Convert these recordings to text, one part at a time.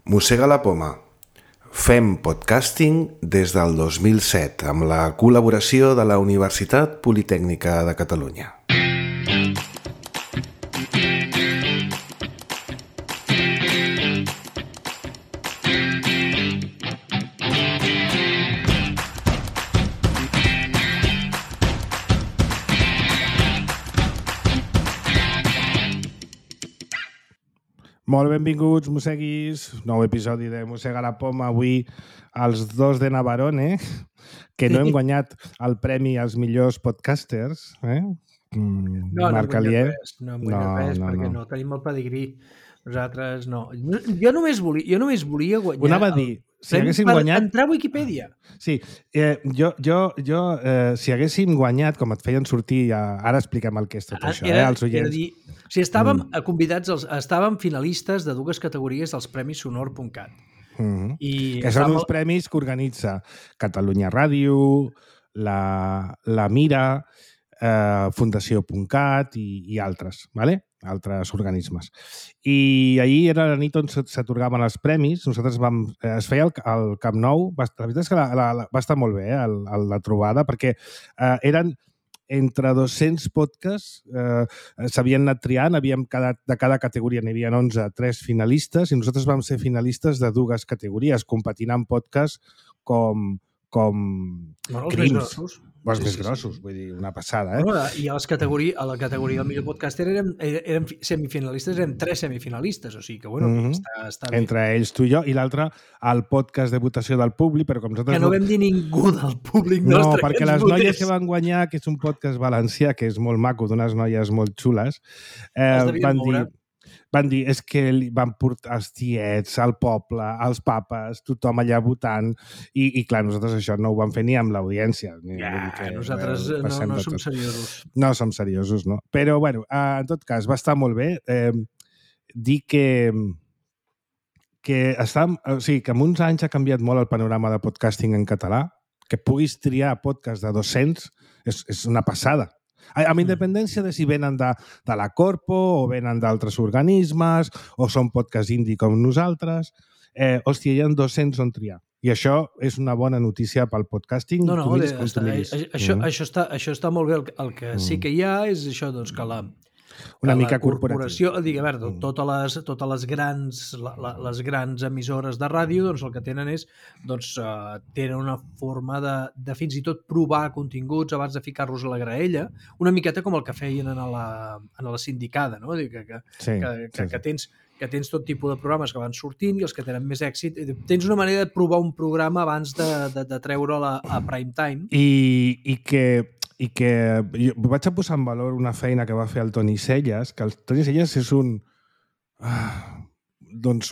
Mossega la poma. Fem podcasting des del 2007 amb la col·laboració de la Universitat Politècnica de Catalunya. Molt benvinguts, mosseguis. Nou episodi de Mossega la poma. Avui els dos de Navarone, que no hem guanyat el premi als millors podcasters. No hem guanyat res, perquè no tenim el pedigrí. Nosaltres no. Jo només volia guanyar... Ho anava a dir, si haguéssim guanyat... Entrar a Wikipedia. Sí, si haguéssim guanyat, com et feien sortir, ara expliquem el que és tot això, als oients. Si estàvem convidats, estàvem finalistes de dues categories dels Premis Sonor.cat. Que són uns premis que organitza Catalunya Ràdio, la Mira, Fundació.cat i altres, ¿vale? Altres organismes. I ahir era la nit on s'atorgaven els premis. Nosaltres es feia el Camp Nou. La veritat és que va estar molt bé, la trobada, perquè eren entre 200 podcasts, s'havien anat triant, de cada categoria n'hi havia 11, 3 finalistes, i nosaltres vam ser finalistes de dues categories, competint en podcasts com Crims. Els més grossos, vull dir, una passada, I a la categoria del millor podcaster érem semifinalistes, érem 3 semifinalistes, o sigui que, bueno, està bé. Entre ells, tu i jo, i l'altre, el podcast de votació del públic, però com nosaltres... Que no vam dir ningú del públic nostre. No, perquè les noies que van guanyar, que és un podcast valencià, que és molt maco, d'unes noies molt xules, van dir, és que van portar els tiets, el poble, els papes, tothom allà votant, i clar, nosaltres això no ho vam fer ni amb l'audiència. Nosaltres no som seriosos. No som seriosos, no. Però, bueno, en tot cas, va estar molt bé. Dir que en uns anys ha canviat molt el panorama de podcasting en català, que puguis triar podcast de 200 és una passada. Amb independència de si venen de la Corpo o venen d'altres organismes o són podcast indie com nosaltres, hòstia, hi ha 200 on triar. I això és una bona notícia pel podcasting. Això està molt bé. El que sí que hi ha és això, doncs, que la corporació, totes les grans emissores de ràdio, doncs el que tenen és tenen una forma de fins i tot provar continguts abans de ficar-los a la graella, una miqueta com el que feien a la sindicada, no? Que tens tot tipus de programes que van sortint i els que tenen més èxit. Tens una manera de provar un programa abans de treure'l a prime time. I que jo vaig a posar en valor una feina que va fer el Toni Celles, que el Toni Celles és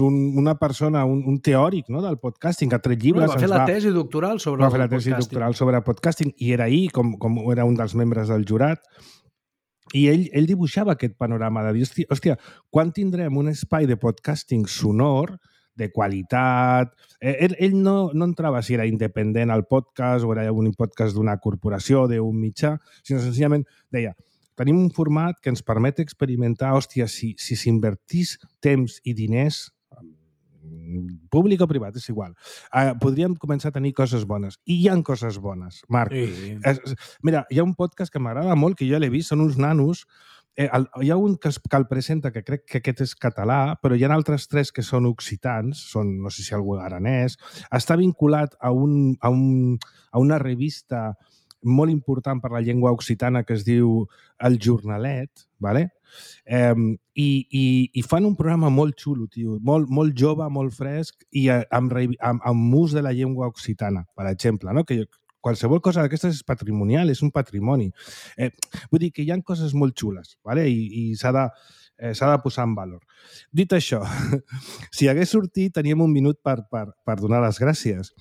una persona, un teòric, no, del podcasting, que ha tret llibres... Va fer la tesi doctoral sobre podcasting i era ahir, com era un dels membres del jurat, i ell dibuixava aquest panorama de dir, hòstia, quan tindrem un espai de podcasting sonor de qualitat... Ell no entrava si era independent al podcast o era un podcast d'una corporació, d'un mitjà, sinó senzillament deia, tenim un format que ens permet experimentar, hòstia, si s'invertís temps i diners, públic o privat, és igual, podríem començar a tenir coses bones. I hi ha coses bones, Marc. Sí. Mira, hi ha un podcast que m'agrada molt, que jo l'he vist, són uns nanos. Hi ha un que el presenta, que crec que aquest és català, però hi ha altres 3 que són occitans, no sé si algú aranès. Està vinculat a una revista molt important per la llengua occitana que es diu El Jornalet, ¿vale? I fan un programa molt xulo, tio, molt jove, molt fresc i amb ús de la llengua occitana, per exemple, no? Que qualsevol cosa d'aquestes és patrimonial, és un patrimoni. Vull dir que hi ha coses molt xules, ¿vale? I s'ha de posar en valor. Dit això, si hagués sortit, teníem un minut per donar les gràcies.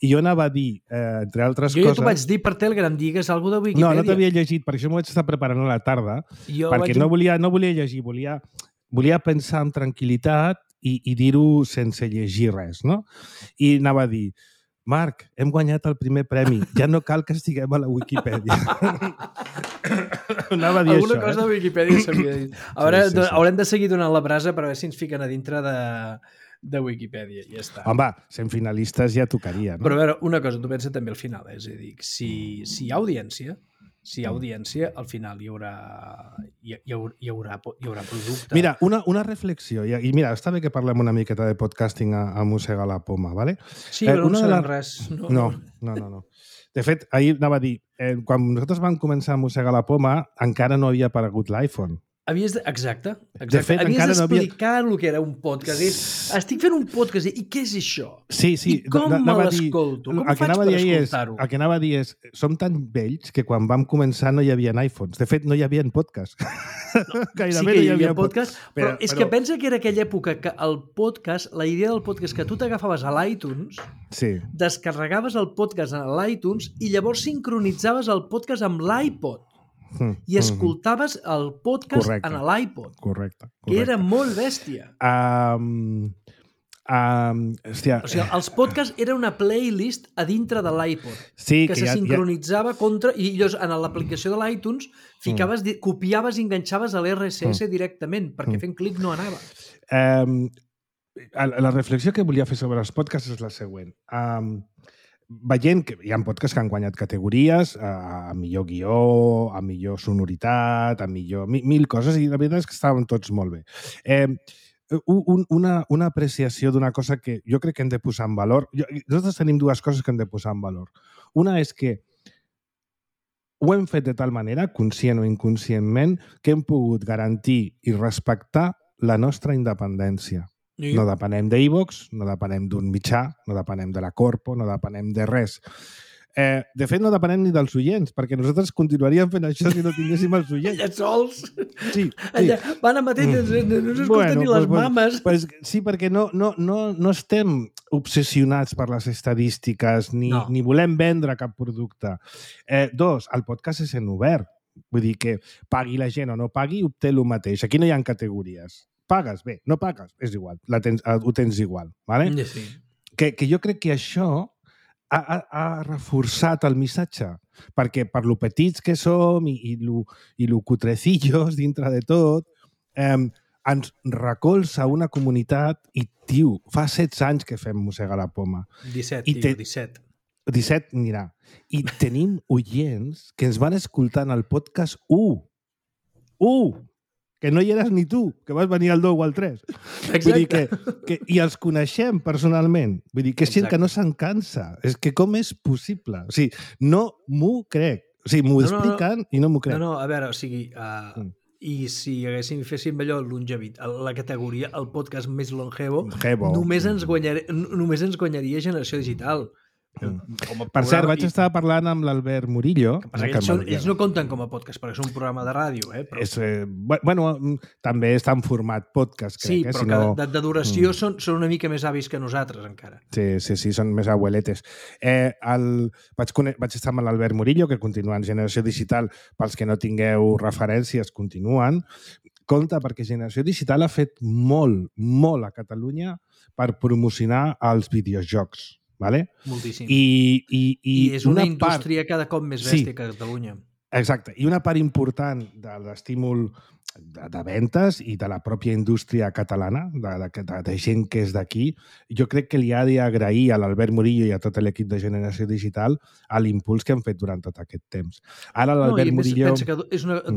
I jo anava a dir, entre altres coses... Jo t'ho vaig dir per Telegram, digues alguna cosa de Wikipedia. No t'havia llegit, perquè això m'ho vaig estar preparant a la tarda, perquè no volia llegir, volia pensar amb tranquil·litat i dir-ho sense llegir res, no? I anava a dir, Marc, hem guanyat el primer premi, ja no cal que estiguem a la Wikipedia. Anava a dir alguna això, cosa de Wikipedia s'havia dit. Haurem de seguir donant la brasa per veure si ens fiquen a dintre de Wikipedia, ja està. Home, sent finalistes ja tocaria, no? Però a veure, una cosa, tu pensa també al final, és a dir, si hi ha audiència, al final hi haurà producte. Mira, una reflexió, i mira, està bé que parlem una miqueta de podcasting a mossegar la poma, ¿vale? Sí, però no sabem res. No. De fet, ahir anava a dir, quan nosaltres vam començar a mossegar la poma, encara no havia aparegut l'iPhone. Exacte. De fet, havies d'explicar el que era un podcast. Estic fent un podcast i què és això? Sí. I com me l'escolto? Com faig per escoltar-ho? El que anava a dir és, som tan vells que quan vam començar no hi havia iPhones. De fet, no hi havia podcast. Gairebé no hi havia podcast, però és que pensa que era aquella època que el podcast, la idea del podcast, que tu t'agafaves a l'iTunes, descarregaves el podcast a l'iTunes i llavors sincronitzaves el podcast amb l'iPod. I escoltaves el podcast en l'iPod. Correcte. Que era molt bèstia. Hòstia. O sigui, els podcasts era una playlist a dintre de l'iPod que se sincronitzava contra... I llavors, en l'aplicació de l'iTunes, copiaves i enganxaves a l'RSS directament, perquè fent clic no anava. La reflexió que volia fer sobre els podcasts és la següent. Veient que hi ha podcasts que han guanyat categories, a millor guió, a millor sonoritat, a millor... mil coses, i la veritat és que estaven tots molt bé. Una apreciació d'una cosa que jo crec que hem de posar en valor. Nosaltres tenim dues coses que hem de posar en valor. Una és que ho hem fet de tal manera, conscient o inconscientment, que hem pogut garantir i respectar la nostra independència. No depenem d'iVox, no depenem d'un mitjà, no depenem de la Corpo, no depenem de res. De fet, no depenem ni dels oients, perquè nosaltres continuaríem fent això si no tinguéssim els oients. Allà sols. Sí. Allà van a mateix, no s'escolten ni les mames. Sí, perquè no estem obsessionats per les estadístiques, ni volem vendre cap producte. Dos, el podcast és en obert. Vull dir que pagui la gent o no pagui, obté el mateix. Aquí no hi ha categories. Pagues? Bé, no pagues? És igual, ho tens igual. ¿vale? Sí. Que jo crec que això ha reforçat el missatge, perquè per lo petits que som i lo cutrecillos dintre de tot, ens recolza una comunitat i, tio, fa 16 anys que fem Mossegar la Poma. 17. 17, mira. I tenim oients que ens van escoltar en el podcast 1. Que no hi eres ni tu, que vas venir al 2 o al 3. Exacte. Vull dir i els coneixem personalment. Vull dir que és gent que no se'n cansa. És que com és possible? O sigui, no m'ho crec. O sigui, m'ho expliquen i no m'ho crec. No, a veure, o sigui... I si féssim allò la categoria, el podcast més longevo, només ens guanyaria Generació Digital. Per cert, vaig estar parlant amb l'Albert Murillo. Ells no compten com a podcast, perquè és un programa de ràdio. Bueno, també està en format podcast, crec. Sí, però de duració són una mica més avis que nosaltres, encara. Sí, són més abueletes. Vaig estar amb l'Albert Murillo, que continua en Generació Digital. Pels que no tingueu referències, continuen. Compte, perquè Generació Digital ha fet molt a Catalunya per promocionar els videojocs. Vale? Moltíssim. I és una indústria cada cop més bèstia que a Catalunya. Exacte. I una part important de l'estímul de ventes i de la pròpia indústria catalana, de gent que és d'aquí, jo crec que li ha d'agrair a l'Albert Murillo i a tot l'equip de Generació Digital a l'impuls que han fet durant tot aquest temps. Ara l'Albert Murillo... Pensa que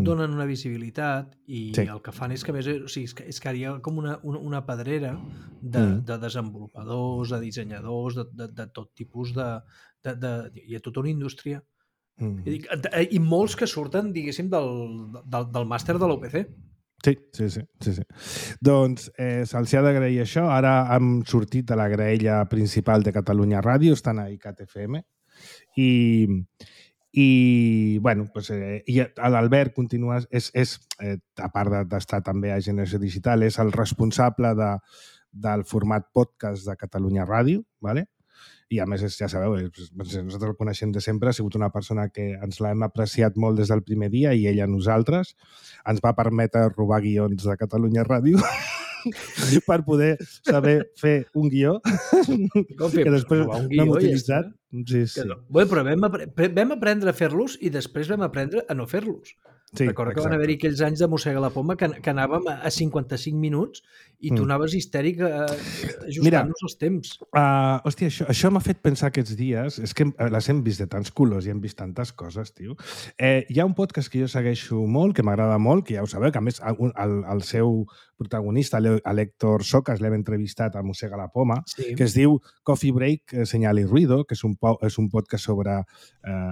donen una visibilitat i el que fan és que més... O sigui, és que hi ha com una pedrera de desenvolupadors, de dissenyadors, de tot tipus de... Hi ha tota una indústria. I molts que surten, diguéssim, del màster de l'UPC. Sí. Doncs se'ls ha d'agrair això. Ara han sortit de la graella principal de Catalunya Ràdio, estan a ICAT FM i bueno, pues, l'Albert continua, a part d'estar també a Generació Digital, és el responsable del format podcast de Catalunya Ràdio, ¿vale? I a més, ja sabeu, nosaltres el coneixem de sempre, ha sigut una persona que ens l'hem apreciat molt des del primer dia i ell a nosaltres. Ens va permetre robar guions de Catalunya Ràdio per poder saber fer un guió que després l'hem utilitzat. Sí. Bé, però vam aprendre a fer-los i després vam aprendre a no fer-los. Recorda que van haver-hi aquells anys de Mossega la Poma que anàvem a 55 minuts i tu anaves histèric ajustant-nos els temps. Hòstia, això m'ha fet pensar aquests dies, és que les hem vist de tants colors i hem vist tantes coses, tio. Hi ha un podcast que jo segueixo molt, que m'agrada molt, que ja ho sabeu, que a més el seu protagonista, l'Héctor Socas, l'hem entrevistat a Mossega la Poma, que es diu Coffee Break, Señal y Ruido, que és un podcast sobre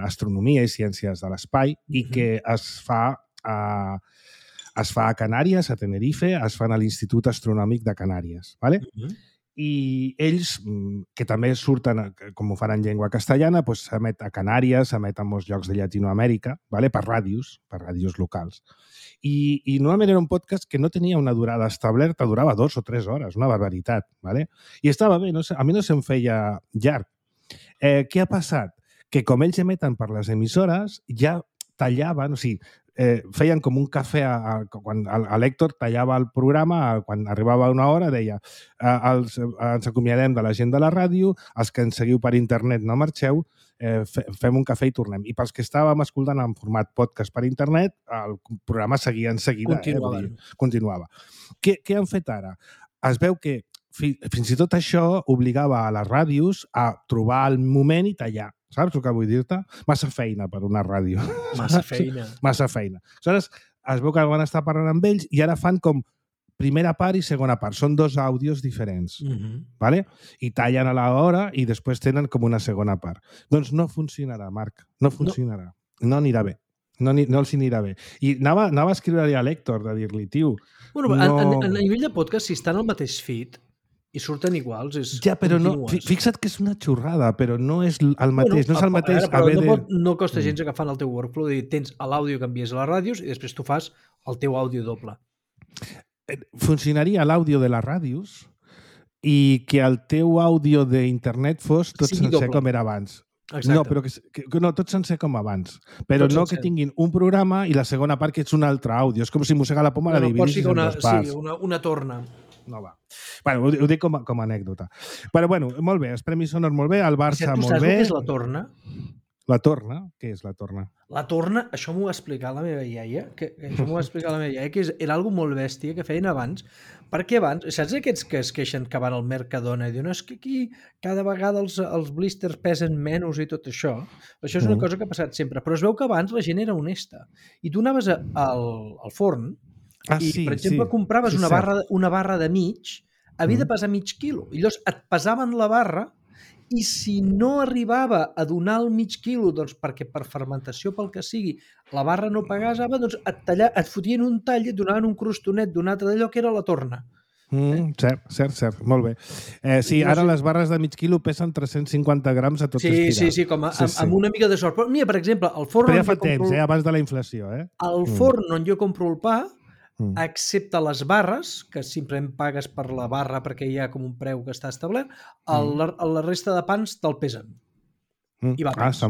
astronomia i ciències de l'espai i que es fa a Canàries, a Tenerife, es fan a l'Institut Astronòmic de Canàries, ¿vale? I ells, que també surten, com ho fan en llengua castellana, doncs s'emet a Canàries, s'emet a molts llocs de Llatinoamèrica, ¿vale? per ràdios locals. I normalment era un podcast que no tenia una durada establerta, durava 2 o 3 hores, una barbaritat, ¿vale? I estava bé, a mi no se'm feia llarg. Què ha passat? Que com ells emeten per les emissores, ja tallaven, o sigui, feien com un cafè, quan l'Héctor tallava el programa, quan arribava una hora deia ens acomiadem de la gent de la ràdio, els que ens seguiu per internet no marxeu, fem un cafè i tornem. I pels que estàvem escoltant en format podcast per internet, el programa seguia en seguida. Continuava. Què han fet ara? Es veu que fins i tot això obligava a les ràdios a trobar el moment i tallar. Saps el que vull dir-te? Massa feina per una ràdio. Massa feina. Massa feina. Aleshores, es veu que van estar parlant amb ells i ara fan com primera part i segona part. Són 2 àudios diferents. ¿Vale? I tallen a l'hora i després tenen com una segona part. Doncs no funcionarà, Marc. No funcionarà. No anirà bé. No els anirà bé. I anava a escriure-li a l'Héctor de dir-li, tio... Bueno, a nivell de podcast, si estan al mateix feed i surten iguals, és ja, però no, fixa't que és una xorrada, però no és el mateix. No és el mateix haver de... No costa gens agafant el teu workflow i tens l'àudio que envies a les ràdios i després tu fas el teu àudio doble. Funcionaria l'àudio de les ràdios i que el teu àudio d'internet fos tot sencer com era abans. Exacte. No, però no, tot sencer com abans. Però no que tinguin un programa i la segona part que és un altre àudio. És com si Mossega la Poma la dividissis en 2 parts. Sí, una torna. No va. Bueno, ho dic com a anècdota. Però bueno, molt bé, els Premis Sonor molt bé, el Barça molt bé. Tu saps què és la torna? La torna? Què és la torna? La torna, això m'ho va explicar la meva iaia, que era algo molt bèstia que feien abans, perquè abans, saps aquests que es queixen que van al Mercadona i diuen és que aquí cada vegada els blisters pesen menys i tot això? Això és una cosa que ha passat sempre, però es veu que abans la gent era honesta. I tu anaves al forn i, per exemple, compraves una barra de mig, havia de pesar mig quilo. I llavors et pesaven la barra i si no arribava a donar el mig quilo, doncs perquè per fermentació, pel que sigui, la barra no pagava, doncs et fotien un tall i et donaven un crostonet d'un altre d'allò que era la torna. Cert. Molt bé. Sí, ara les barres de mig quilo pesen 350 grams a tot estirar. Sí, com amb una mica de sort. Però mira, per exemple, el forn... Però ja fa temps, abans de la inflació. El forn on jo compro el pa, excepte les barres, que simplement pagues per la barra perquè hi ha com un preu que està establert, la resta de pans te'l pesen. I va pens. Està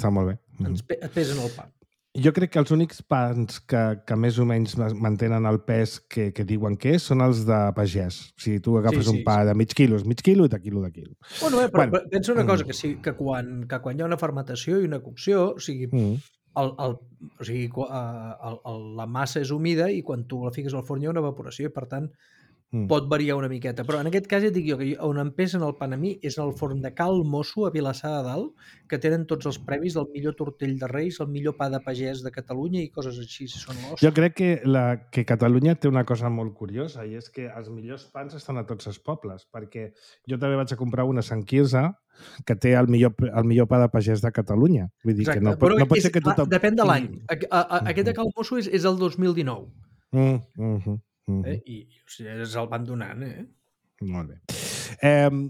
molt bé. Et pesen el pa. Jo crec que els únics pans que més o menys mantenen el pes que diuen que són els de pagès. O sigui, tu agafes un pa de mig quilo, és mig quilo i de quilo. Bueno, però pensa una cosa, que quan hi ha una fermentació i una cocció, o sigui... la massa és humida i quan tu la fiques al forn hi ha una evaporació i per tant pot variar una miqueta, però en aquest cas ja dic jo que on em pesen el pan a mi és el forn de Cal Mosso a Vilassar de Dalt, que tenen tots els premis del millor tortell de Reis, el millor pa de pagès de Catalunya i coses així. Jo crec que Catalunya té una cosa molt curiosa i és que els millors pans estan a tots els pobles, perquè jo també vaig a comprar una a Sant Quirze que té el millor pa de pagès de Catalunya. Vull dir que no pot ser que tothom... Depèn de l'any. Aquest de Cal Mosso és el 2019. I el van donant, Molt bé.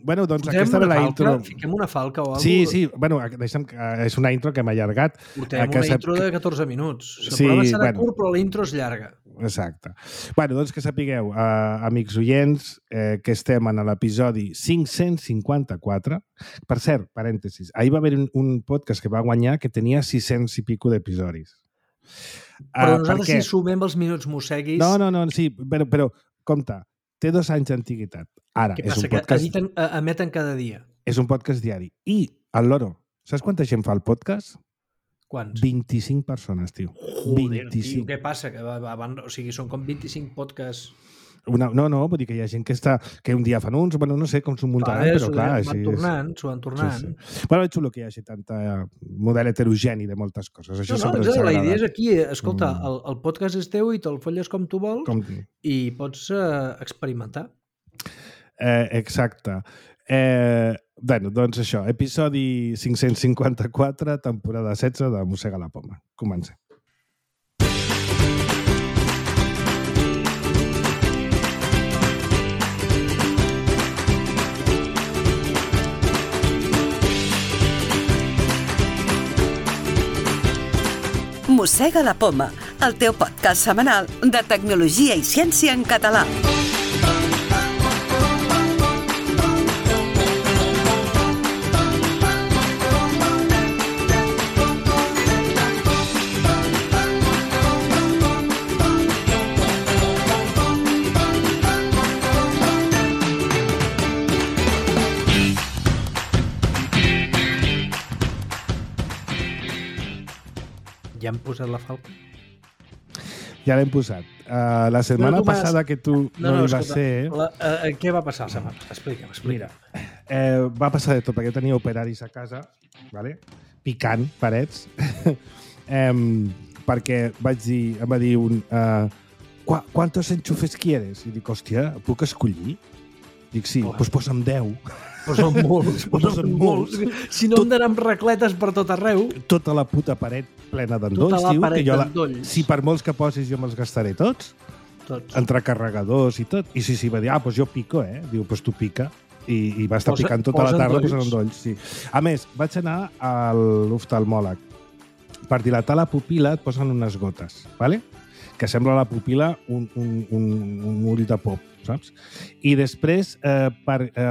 Bueno, doncs aquesta era la intro. Fiquem una falca o alguna cosa. Sí, bueno, deixa'm, és una intro que m'ha allargat. Portem una intro de 14 minuts. El programa serà curt, però la intro és llarga. Exacte. Bueno, doncs que sapigueu, amics oients, que estem en l'episodi 554. Per cert, parèntesis, ahir va haver un podcast que va guanyar que tenia 600 i pico d'episodis. Però nosaltres si sumem els minuts mosseguis... No, sí, però compte, té 2 anys d'antiguitat. Ara, és un podcast... Que emeten cada dia. És un podcast diari. I el loro, saps quanta gent fa el podcast? Quants? 25 persones, tio. Joder, 25. tio, què passa? O sigui, són com 25 podcasts... No, vull dir que hi ha gent que un dia fan uns, bueno, no sé com s'ho muntaran, però clar... S'ho van tornant. Sí. Bueno, és xulo que hi hagi tanta model heterogeni de moltes coses. Això sempre ens la agrada. idea és aquí, escolta, el podcast és teu i te'l folles com tu vols i pots experimentar. Exacte. Bueno, doncs això, episodi 554, temporada 16 de Mossega la Poma. Comencem. Mossega la Poma, el teu podcast setmanal de tecnologia i ciència en català. Ja hem posat la falca? Ja l'hem posat. La setmana passada que tu no hi vas ser... Què va passar la setmana? Explica'm. Mira, va passar de tot, perquè jo tenia operaris a casa, ¿vale? Picant parets, perquè em va dir un... ¿Cuántos enchufes quieres? I dic, hòstia, puc escollir? Dic, sí, doncs posa'm 10. Posen molts. Si no, em donen racletes per tot arreu. Tota la puta paret plena d'endolls, Tota la paret d'endolls. Si per molts que posis jo me'ls gastaré tots. Entre carregadors i tot. I sí, va dir, doncs jo pico, Diu, doncs tu pica. I va estar picant tota la tarda posant endolls. Sí. A més, vaig anar a l'oftalmòleg. Per dilatar la pupil·la et posen unes gotes, ¿vale? Que sembla la pupil·la un ull de pop, saps? I després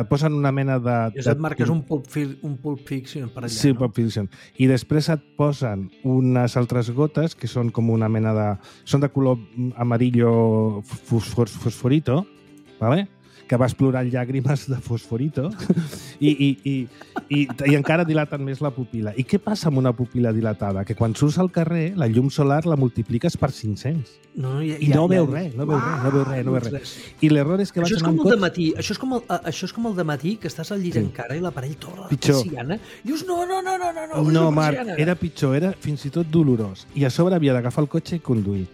posen una mena de... Et marques un Pulp Fiction per allà, sí, no? Pulp Fiction. I després et posen unes altres gotes que són com una mena de... Són de color amarillo fosforito, ¿vale? Que vas plorant llàgrimes de fosforito i encara dilaten més la pupil·la. I què passa amb una pupil·la dilatada? Que quan surts al carrer, la llum solar la multipliques per 500. No veus res. I l'error és que vas anar amb cotxe... Això és com el de matí, que estàs al llit encara i l'aparell torna la persiana. Dius, no. No, Marc, era pitjor, era fins i tot dolorós. I a sobre havia d'agafar el cotxe i conduir.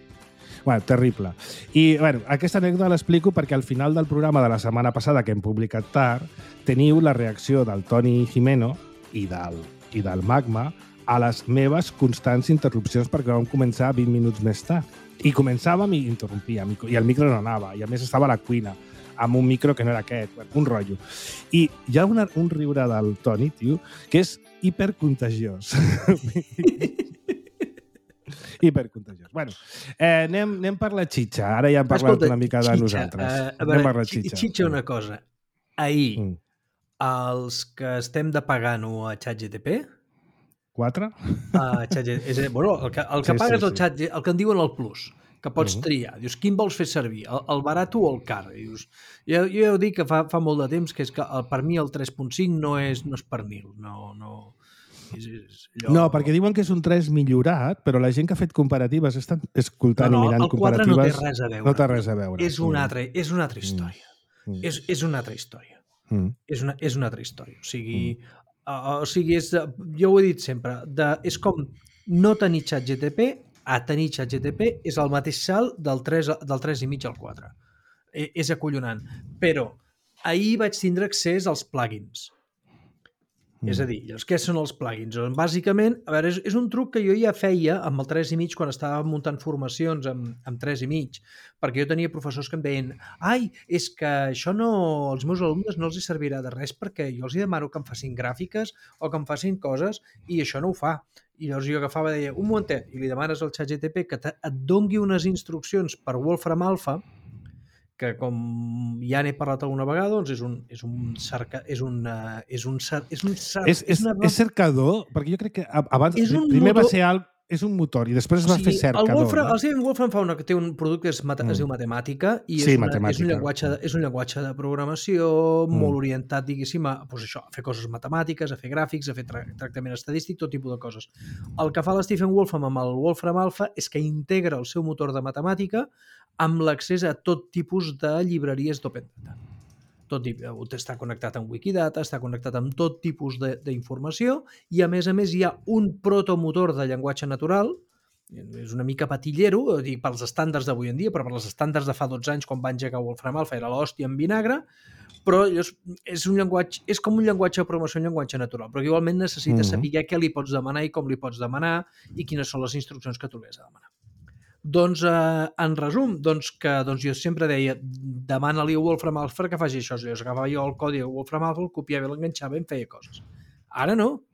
Bueno, terrible. I aquesta anècdota l'explico perquè al final del programa de la setmana passada, que hem publicat tard, teniu la reacció del Toni Jimeno i del Magma a les meves constants interrupcions perquè vam començar 20 minuts més tard. I començàvem i interrompíem, i el micro no anava, i a més estava a la cuina, amb un micro que no era aquest, un rotllo. I hi ha un riure del Toni, tio, que és hipercontagiós. Hipercontagiós. Bueno, anem per la xitxa. Ara ja hem parlat una mica de nosaltres. Anem per la xitxa. Xitxa una cosa. Ahir, els que estem de pagant-ho a ChatGPT... 4? Bueno, el que pagues al Chat, el que en diuen el Plus, que pots triar. Dius, quin vols fer servir? El barat o el car? Dius, jo ja ho dic que fa molt de temps, que és que per mi el 3.5 no és per mi. No, perquè diuen que és un 3 millorat, però la gent que ha fet comparatives està escoltant i mirant comparatives... No, el 4 no té res a veure. És una altra història. És una altra història. És una altra història. O sigui, jo ho he dit sempre, és com no tenir ChatGPT a tenir ChatGPT és el mateix salt del 3,5 al 4. És acollonant. Però ahir vaig tindre accés als plugins. És a dir, què són els plugins? Bàsicament, a veure, és un truc que jo ja feia amb el 3,5 quan estava muntant formacions amb 3,5, perquè jo tenia professors que em deien és que això als meus alumnes no els servirà de res perquè jo els demano que em facin gràfiques o que em facin coses i això no ho fa. I llavors jo agafava i deia, un momentet, i li demanes al ChatGPT que et dongui unes instruccions per Wolfram Alpha, que com ja n'he parlat alguna vegada, doncs és cercador, perquè jo crec que abans primer va ser és un motor i després es va fer cercador. El Stephen Wolfram té un producte que es diu Matemàtica i és un llenguatge de programació molt orientat, diguéssim, a fer coses matemàtiques, a fer gràfics, a fer tractament estadístic, tot tipus de coses. El que fa l'Stephen Wolfram amb el Wolfram Alpha és que integra el seu motor de matemàtica amb l'accés a tot tipus de llibreries d'Open Data. Està connectat amb Wikidata, està connectat amb tot tipus d'informació i, a més, hi ha un protomotor de llenguatge natural, és una mica patillero, pels estàndards d'avui en dia, però per els estàndards de fa 12 anys, quan va engegar Wolfram Alpha, era l'hòstia en vinagre, però és com un llenguatge de programació, un llenguatge natural, però igualment necessites saber què li pots demanar i com li pots demanar i quines són les instruccions que tu li has de demanar. Doncs, en resum, jo sempre deia, demana-li a Wolfram Alpha que faci això. Jo agafava el codi de Wolfram Alpha, el copiava i l'enganxava i em feia coses. Ara no.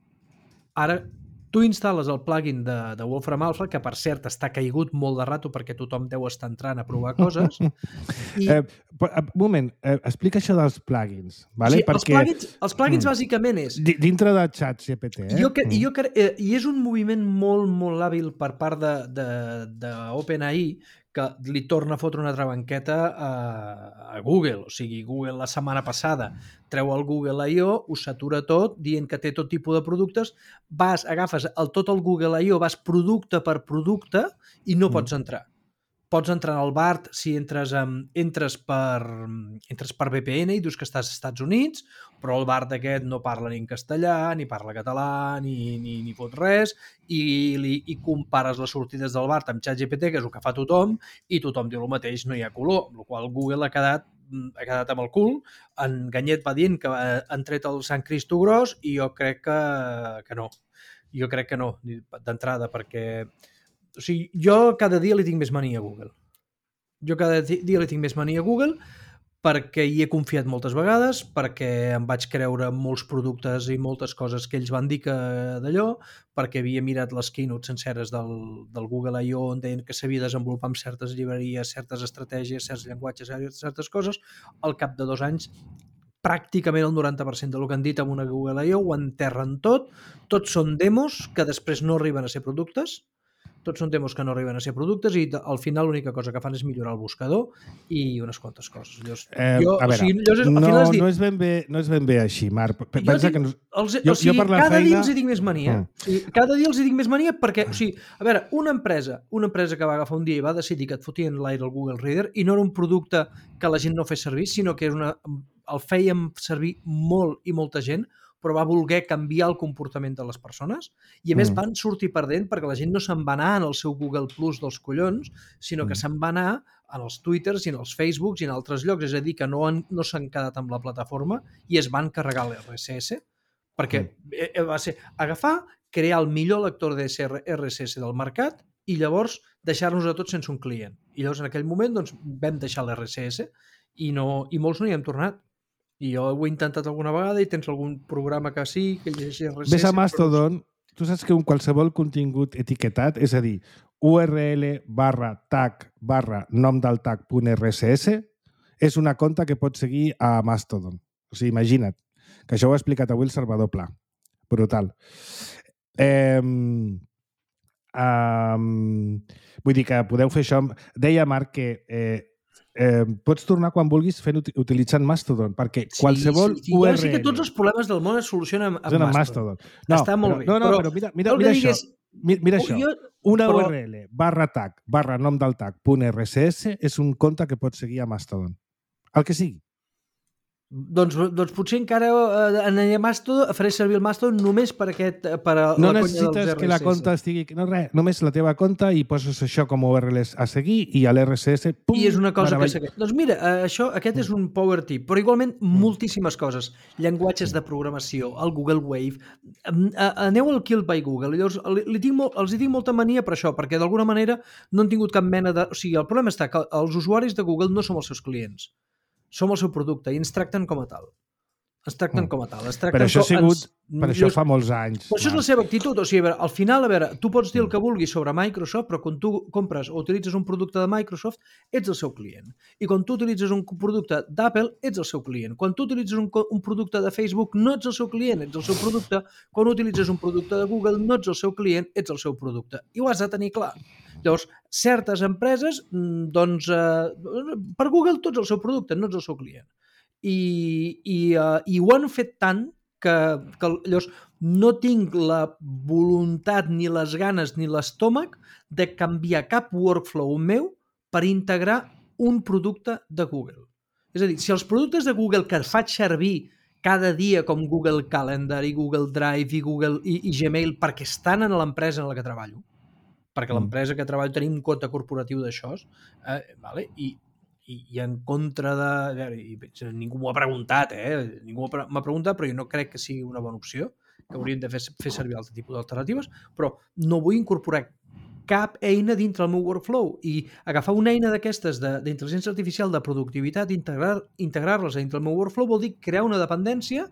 Ara tu instal·les el plugin de Wolfram Alpha, que per cert està caigut molt de rato perquè tothom deu estar entrant a provar coses. Un moment, explica això dels plugins. Vale? Sí, perquè els plugins bàsicament és... Dintre de ChatGPT, I és un moviment molt, molt hàbil per part d'OpenAI que li torna a fotre una altra banqueta a Google. O sigui, Google la setmana passada treu el Google I.O., ho satura tot, dient que té tot tipus de productes, agafes tot el Google I.O., vas producte per producte i no pots entrar. Pots entrar al BART si entres per VPN i dius que estàs als Estats Units, però el BART aquest no parla ni en castellà, ni parla català, ni fot res, i compares les sortides del BART amb ChatGPT, que és el que fa tothom, i tothom diu el mateix, no hi ha color, amb la qual cosa Google ha quedat amb el cul. En Ganyet va dient que han tret el Sant Cristo gros i jo crec que no. Jo crec que no, d'entrada, perquè... O sigui, jo cada dia li tinc més mania a Google. Perquè hi he confiat moltes vegades, perquè em vaig creure molts productes i moltes coses que ells van dir que d'allò, perquè havia mirat les keynotes senceres del Google I.O. on deien que s'havia desenvolupat amb certes llibreries, certes estratègies, certs llenguatges, certes coses. Al cap de 2 anys, pràcticament el 90% del que han dit amb una Google I.O. ho enterren tot. Tots són demos que després no arriben a ser productes. I al final l'única cosa que fan és millorar el buscador i unes quantes coses. No és ben bé així, Marc. Pensa que cada dia els hi dic més mania. Cada dia els hi dic més mania perquè, a veure, una empresa que va agafar un dia i va decidir que et fotien l'aire al Google Reader i no era un producte que la gent no fes servir, sinó que el fèiem servir molt i molta gent, però va voler canviar el comportament de les persones i, a més, van sortir perdent perquè la gent no se'n va anar en el seu Google Plus dels collons, sinó que se'n va anar en els Twitters i en els Facebooks i en altres llocs, és a dir, que no s'han quedat amb la plataforma i es van carregar l'RSS, perquè va ser agafar, crear el millor lector de RSS del mercat i llavors deixar-nos a tots sense un client. I llavors, en aquell moment, vam deixar l'RSS i molts no hi hem tornat. I jo ho he intentat alguna vegada i tens algun programa que sí, que llegeixi RSS... Ves a Mastodon, tu saps que qualsevol contingut etiquetat, és a dir, url/tag/nom-del-tag.rss és una conta que pots seguir a Mastodon. O sigui, imagina't, que això ho ha explicat avui el Salvador Pla. Brutal. Vull dir que podeu fer això... Deia Marc que... pots tornar quan vulguis utilitzant Mastodon, perquè qualsevol URL... Sí que tots els problemes del món es solucionen amb Mastodon. Està molt bé. Però mira això. Mira això. Una URL /tag/nom-del-tag.rss és un compte que pots seguir a Mastodon. El que sigui. Doncs potser encara aniré a Mastodon, faré servir el Mastodon només per no necessites que la compte estigui... No, res, només la teva compte i poses això com a URLs a seguir i a l'RSS... I és una cosa que segueix. Doncs mira, aquest és un power tip, però igualment moltíssimes coses. Llenguatges de programació, el Google Wave... Aneu al Kill by Google. Llavors, els hi tinc molta mania per això, perquè d'alguna manera no han tingut cap mena de... O sigui, el problema està que els usuaris de Google no som els seus clients. Som el seu producte i ens tracten com a tal. Ens tracten com a tal. Però això ha sigut... Per això fa molts anys. Però això és la seva actitud. O sigui, al final, tu pots dir el que vulguis sobre Microsoft, però quan tu compres o utilitzes un producte de Microsoft, ets el seu client. I quan tu utilitzes un producte d'Apple, ets el seu client. Quan tu utilitzes un producte de Facebook, no ets el seu client, ets el seu producte. Quan utilitzes un producte de Google, no ets el seu client, ets el seu producte. I ho has de tenir clar. Llavors, certes empreses, doncs, per Google tu ets el seu producte, no ets el seu client. I ho han fet tant que llavors no tinc la voluntat ni les ganes ni l'estómac de canviar cap workflow meu per integrar un producte de Google. És a dir, si els productes de Google que faig servir cada dia com Google Calendar i Google Drive i Gmail perquè estan en l'empresa en la que treballo, perquè l'empresa que treballo tenim un compte corporatiu d'això, vale? I en contra de... ningú m'ho ha preguntat, ningú m'ha preguntat, però jo no crec que sigui una bona opció, que hauríem de fer servir altre tipus d'alternatives, però no vull incorporar cap eina dintre el meu workflow i agafar una eina d'aquestes d'intel·ligència artificial de productivitat, integrar-les dintre el meu workflow vol dir crear una dependència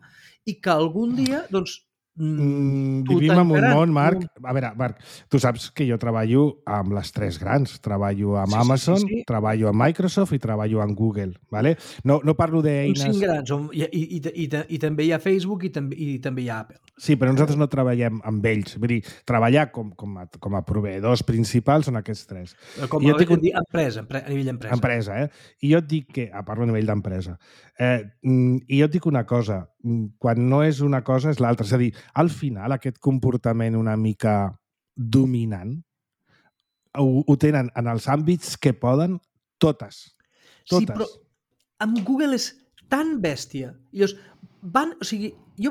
i que algun dia, doncs, vivim en un món, Marc. A veure, Marc, tu saps que jo treballo amb les tres grans. Treballo amb Amazon, treballo amb Microsoft i treballo amb Google. ¿Vale? No parlo d'eines... Uns 5 grans. I també hi ha Facebook i també hi ha Apple. Sí, però nosaltres no treballem amb ells. Vull dir, treballar com a proveïdors principals són aquests tres. Com a nivell empresa. Empresa, I jo et dic que... Parlo a nivell d'empresa. I jo et dic una cosa. Quan no és una cosa, és l'altra. És a dir, al final, aquest comportament una mica dominant ho tenen en els àmbits que poden totes. Sí, però amb Google és tan bèstia. Jo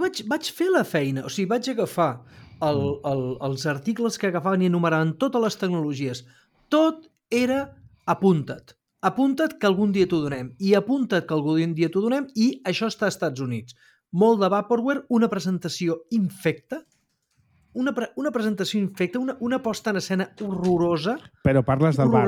vaig fer la feina, vaig agafar els articles que agafaven i enumeraven totes les tecnologies. Tot era apunta't. Apunta't que algun dia t'ho donem. I apunta't que algun dia t'ho donem i això està als Estats Units. Molt de vaporware, una presentació infecta, una una posta en escena horrorosa. Però parles del Bart.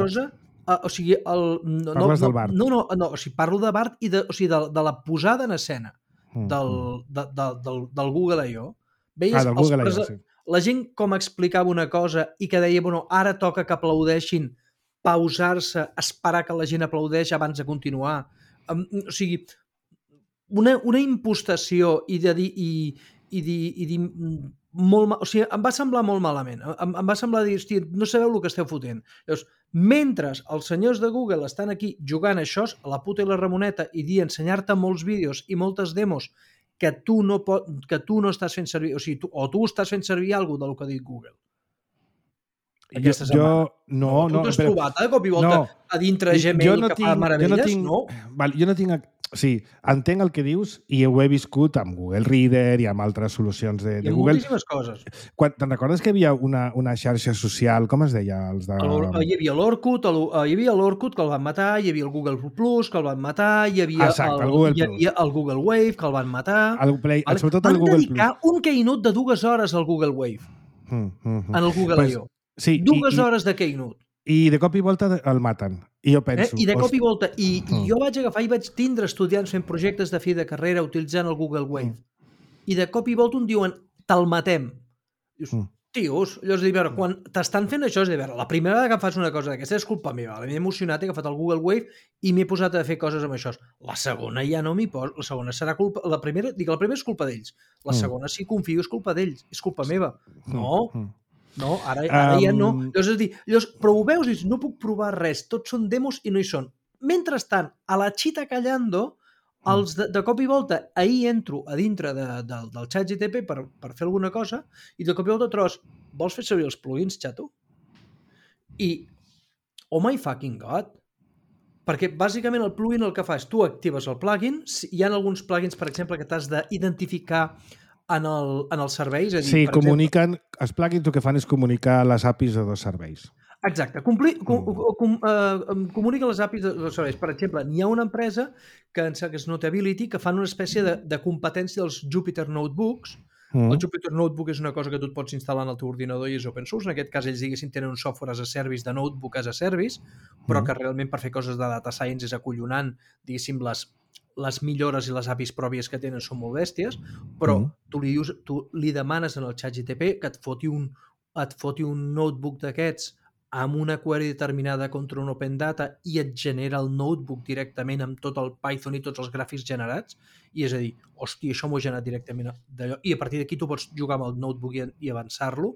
Parles del Bart. No, parlo de Bart i de la posada en escena del Google I.O. Veies del Google I.O., sí. La gent com explicava una cosa i que deia, ara toca que aplaudeixin, pausar-se, esperar que la gent aplaudeix abans de continuar. Una impostació i dir molt... em va semblar molt malament. Em va semblar dir, no sabeu el que esteu fotent. Llavors, mentre els senyors de Google estan aquí jugant a això, a la puta i la Ramoneta, i ensenyar-te molts vídeos i moltes demos que tu no estàs fent servir, o tu estàs fent servir alguna del que ha dit Google. Aquesta setmana. Tu t'has trobat de cop i volta a dintre Gmail que fa meravelles? Jo no tinc... Sí, entenc el que dius i ho he viscut amb Google Reader i amb altres solucions de Google. I amb moltíssimes coses. Te'n recordes que hi havia una xarxa social, com es deia? Hi havia l'Orkut que el van matar, hi havia el Google Plus que el van matar, hi havia el Google Wave que el van matar. Sobretot el Google Plus. Van dedicar un keynote de 2 hores al Google Wave en el Google I.O. Sí, 2 hores de keynote. I de cop i volta el maten. I jo penso... I de cop i volta. I jo vaig agafar i vaig tindre estudiants fent projectes de fi de carrera utilitzant el Google Wave. I de cop i volta un diuen, te'l matem. Dius, tios, llavors dir, quan t'estan fent això, és dir, la primera vegada que fas una cosa d'aquesta és culpa meva. M'he emocionat, he agafat el Google Wave i m'he posat a fer coses amb això. La segona ja no m'hi poso. La segona serà culpa... La primera és culpa d'ells. La segona, si confio, és culpa d'ells. És culpa meva. No, ara ja no. Llavors, però ho veus i dius, no puc provar res, tots són demos i no hi són. Mentrestant, a la xita callando, els de cop i volta, ahir entro a dintre del ChatGPT per fer alguna cosa i de cop i volta trobes, vols fer servir els plugins, xato? I, oh my fucking god! Perquè bàsicament el plugin el que fa és, tu actives el plugin, hi ha alguns plugins, per exemple, que t'has d'identificar en els serveis. Sí, comuniquen, els plugins el que fan és comunicar les APIs de 2 serveis. Exacte, comuniquen les APIs de 2 serveis. Per exemple, hi ha una empresa que és Notability que fan una espècie de competència dels Jupyter Notebooks. El Jupyter Notebook és una cosa que tu et pots instal·lar en el teu ordinador i és open source. En aquest cas, ells diguessin tenen un software as a service de notebook as a service, però que realment per fer coses de data science és acollonant, diguéssim, les millores i les APIs pròpies que tenen són molt bèsties, però tu li demanes en el ChatGPT que et foti un notebook d'aquests amb una query determinada contra un Open Data i et genera el notebook directament amb tot el Python i tots els gràfics generats, i és a dir, hòstia, això m'ho he generat directament d'allò, i a partir d'aquí tu pots jugar amb el notebook i avançar-lo.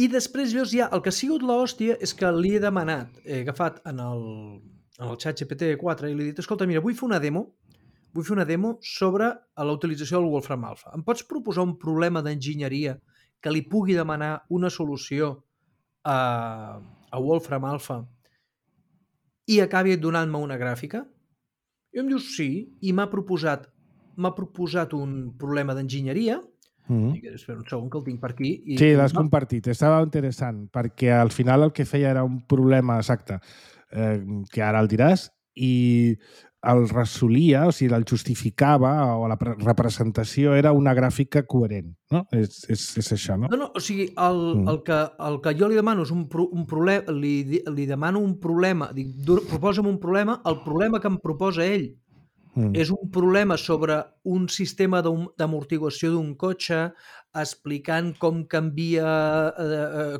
I després llavors ja, el que ha sigut l'hòstia és que li he demanat, he agafat en el ChatGPT 4 i li he dit, escolta, mira, vull fer una demo sobre la utilització del Wolfram Alpha. Em pots proposar un problema d'enginyeria que li pugui demanar una solució a Wolfram Alpha i acabi donant-me una gràfica? I em diu sí, i m'ha proposat un problema d'enginyeria. Espera un segon que el tinc per aquí. Sí, l'has compartit. Estava interessant, perquè al final el que feia era un problema exacte, que ara el diràs, i el resolia, o sigui, el justificava, o la representació era una gràfica coherent, no? És això, no? No, o sigui, el que jo li demano és un problema, li demano un problema, dic, proposa'm un problema, el problema que em proposa ell és un problema sobre un sistema d'amortiguació d'un cotxe, explicant com canvia,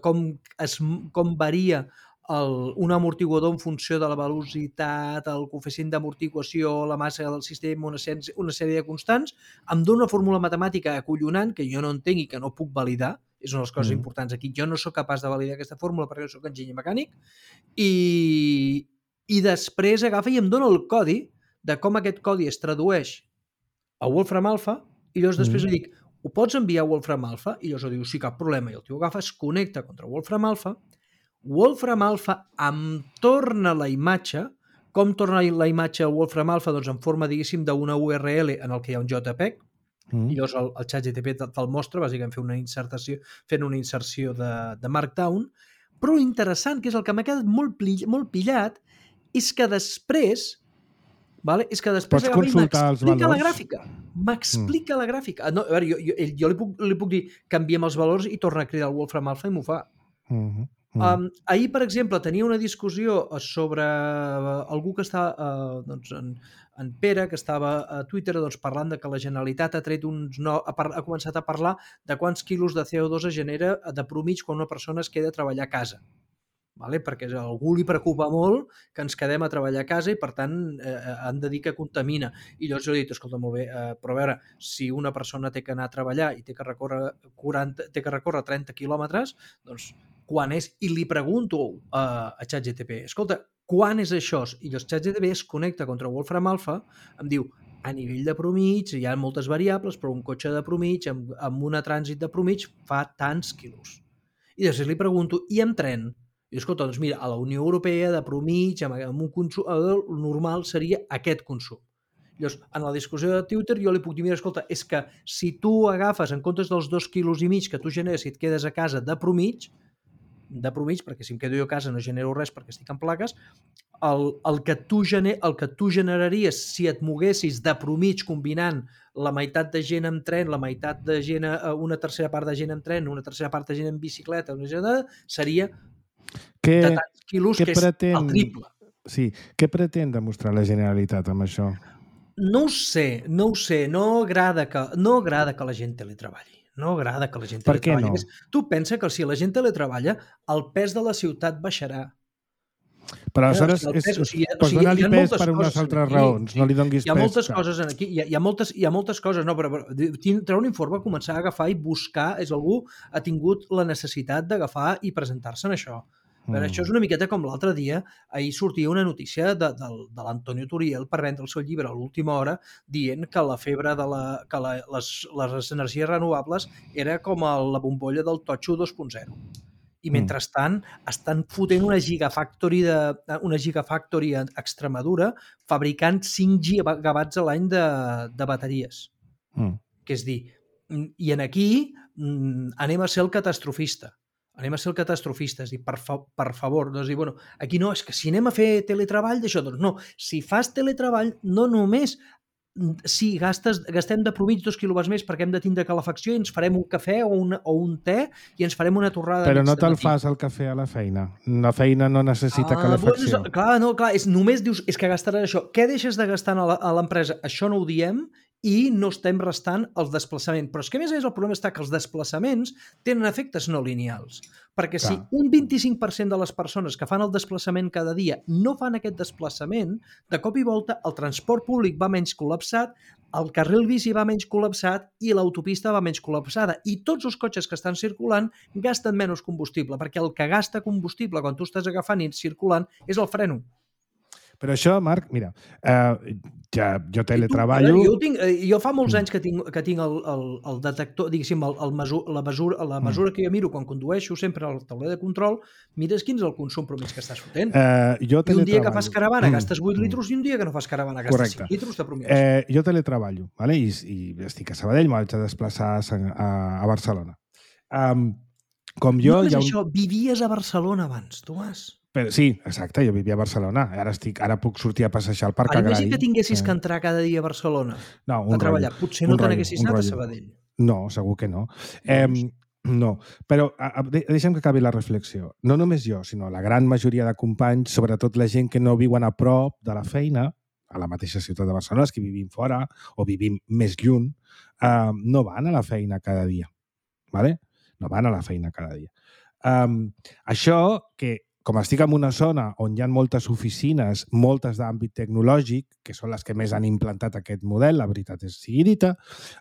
com varia un amortiguador en funció de la velocitat, el coeficient d'amortiguació, la massa del sistema, una sèrie de constants. Em dona una fórmula matemàtica acollonant que jo no entenc i que no puc validar. És una de les coses importants aquí. Jo no sóc capaç de validar aquesta fórmula perquè jo sóc enginyer mecànic. I després agafa i em dona el codi de com aquest codi es tradueix a Wolfram Alpha, i llavors després li dic, ho pots enviar a Wolfram Alpha? I llavors diu, sí, cap problema. I el tio agafa, es connecta contra Wolfram Alpha em torna la imatge. Com torna la imatge a Wolfram Alpha? Doncs en forma, diguéssim, d'una URL en el que hi ha un JPEG, i llavors el ChatGPT te'l mostra, bàsicament fent una inserció de Markdown, però interessant, que és el que m'ha quedat molt pillat, és que després pots consultar els valors. M'explica la gràfica. No, a veure, jo li puc dir canviem els valors i torna a cridar el Wolfram Alpha i m'ho fa. Ahir, per exemple, tenia una discussió sobre algú que està, en Pere, que estava a Twitter parlant de que la Generalitat ha començat a parlar de quants quilos de CO2 es genera de promig quan una persona es queda a treballar a casa. Perquè a algú li preocupa molt que ens quedem a treballar a casa i, per tant, han de dir que contamina. I llavors jo he dit, escolta, molt bé, però a veure, si una persona té que anar a treballar i té que recórrer 30 quilòmetres, doncs, quan és? I li pregunto a ChatGPT, escolta, quan és això? I llavors ChatGPT es connecta contra Wolfram Alpha, em diu, a nivell de promig, hi ha moltes variables, però un cotxe de promig, amb un trànsit de promig, fa tants quilos. I després li pregunto, i en tren? I escolta, doncs mira, a la Unió Europea de promig, amb un consum normal seria aquest consum. Llavors, en la discussió de Twitter jo li puc dir, mira, escolta, és que si tu agafes en comptes dels 2,5 quilos que tu generes si et quedes a casa de promig, perquè si em quedo jo a casa no genero res perquè estic en plaques, el que tu generaries si et moguessis de promig combinant la meitat de gent amb tren, la meitat de gent, una tercera part de gent amb tren, una tercera part de gent amb bicicleta, seria de tants quilos, que és el triple. Sí. Què pretén demostrar la Generalitat amb això? No ho sé. No agrada que la gent teletreballi. No agrada que la gent teletreballi. Per què no? Tu pensa que si la gent teletreballa, el pes de la ciutat baixarà. Però aleshores pots donar-li pes per unes altres raons, no li donguis pes. Hi ha moltes coses aquí, hi ha moltes coses, no, però treure un informe, començar a agafar i buscar, algú ha tingut la necessitat d'agafar i presentar-se en això. Però això és una miqueta com l'altre dia, ahir sortia una notícia de l'Antonio Turiel per vendre el seu llibre a l'última hora, dient que la febre que les energies renovables era com la bombolla del totxo 2.0. I mentrestant estan fotent una gigafactory a Extremadura fabricant 5 gigawatts a l'any de bateries. Que és dir, i aquí anem a ser el catastrofista. És dir, per favor, doncs dir, bueno, aquí no, és que si anem a fer teletreball d'això, doncs no, si fas teletreball no només sí, gastem de promig 2 quilowatts més perquè hem de tindre calefacció i ens farem un cafè o un te i ens farem una torrada Però no mig de te'l matí. fas el cafè a la feina. La feina no necessita calefacció. Bueno, clar, només dius, és que gastaràs això. Què deixes de gastar a l'empresa? Això no ho diem i no estem restant els desplaçaments. Però és que, a més, el problema està que els desplaçaments tenen efectes no lineals. Perquè si un 25% de les persones que fan el desplaçament cada dia no fan aquest desplaçament, de cop i volta el transport públic va menys col·lapsat, el carril bici va menys col·lapsat i l'autopista va menys col·lapsada. I tots els cotxes que estan circulant gasten menys combustible, perquè el que gasta combustible quan tu estàs agafant i circulant és el freno. Però això, Marc, mira, jo teletreballo... Jo fa molts anys que tinc el detector, diguéssim, la mesura que jo miro quan condueixo sempre al tauler de control, mires quin és el consum promès que estàs fotent. I un dia que fas caravana gastes 8 litres i un dia que no fas caravana gastes 5 litres de promès. Jo teletreballo, ¿vale? I estic a Sabadell, m'haig de desplaçar a Barcelona. Com jo... No és això, vivies a Barcelona abans, Tomàs. Però, sí, exacte, jo vivia a Barcelona. Ara puc sortir a passejar al Parc Agrari. Imagina que tinguessis que entrar cada dia a Barcelona a treballar. Potser no te n'haguessis anat a Sabadell. No, segur que no. No, però deixa'm que acabi la reflexió. No només jo, sinó la gran majoria de companys, sobretot la gent que no viuen a prop de la feina, a la mateixa ciutat de Barcelona, els que vivim fora o vivim més lluny, no van a la feina cada dia. ¿Vale? No van a la feina cada dia. Això que com estic en una zona on hi ha moltes oficines, moltes d'àmbit tecnològic, que són les que més han implantat aquest model, la veritat és sigui dita,